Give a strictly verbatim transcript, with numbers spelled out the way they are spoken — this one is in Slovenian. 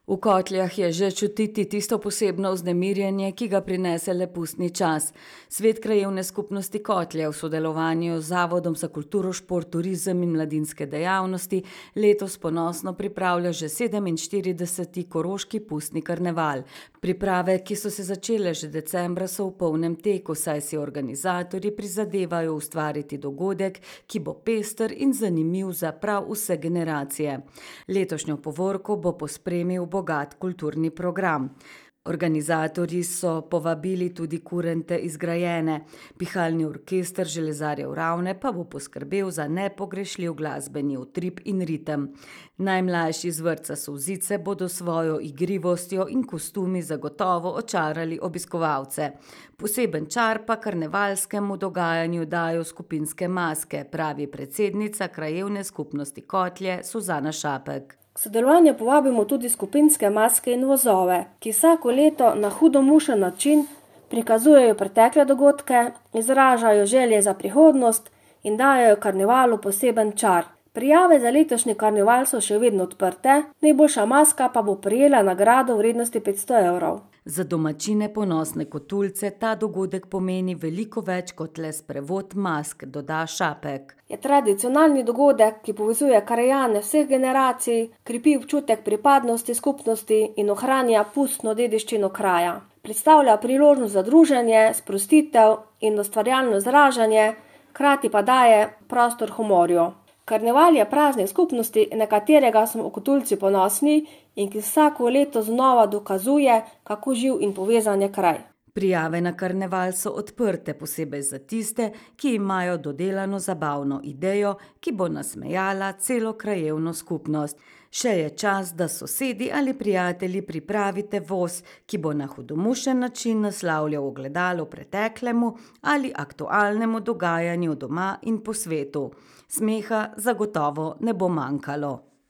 V Kotljah je že čutiti tisto posebno vznemirjenje, ki ga prinese le pustni čas. Svet krajevne skupnosti Kotlje v sodelovanju z Zavodom za kulturo, šport, turizem in mladinske dejavnosti letos ponosno pripravlja že sedeminštirideseti Koroški pustni karneval. Priprave, ki so se začele že decembra, so v polnem teku, saj si organizatorji prizadevajo ustvariti dogodek, ki bo pester in zanimiv za prav vse generacije. Letošnjo povorko bo pospremil bogat kulturni program. Organizatorji so povabili tudi kurente iz Grajene. Pihalni orkester Železarjev Ravne pa bo poskrbel za nepogrešljiv glasbeni utrip in ritem. Najmlajši z vrtca Solzice bodo svojo igrivostjo in kostumi zagotovo očarali obiskovalce. Poseben čar pa karnevalskemu dogajanju dajo skupinske maske, pravi predsednica krajevne skupnosti Kotlje Suzana Šapek. K sodelovanju povabimo tudi skupinske maske in vozove, ki vsako leto na hudomušen način prikazujejo pretekle dogodke, izražajo želje za prihodnost in dajejo karnevalu poseben čar. Prijave za letošnji karneval so še vedno odprte, najboljša maska pa bo prejela nagrado v vrednosti petsto evrov. Za domačine ponosne Kotulce ta dogodek pomeni veliko več kot le sprevod mask, doda Šapek. Je tradicionalni dogodek, ki povezuje krajane vseh generacij, krepi občutek pripadnosti skupnosti in ohranja pustno dediščino kraja. Predstavlja priložnost za druženje, sprostitev in ustvarjalno izražanje, hkrati pa daje prostor humorju. Karneval je praznik skupnosti, na katerega smo Kotulci ponosni in ki vsako leto znova dokazuje, kako živ in povezan je kraj. Prijave na karneval so odprte, posebej za tiste, ki imajo dodelano zabavno idejo, ki bo nasmejala celo krajevno skupnost. Še je čas, da sosedi ali prijatelji pripravite voz, ki bo na hudomušen način naslavljal ogledalo preteklemu ali aktualnemu dogajanju doma in po svetu. Smeha zagotovo ne bo manjkalo.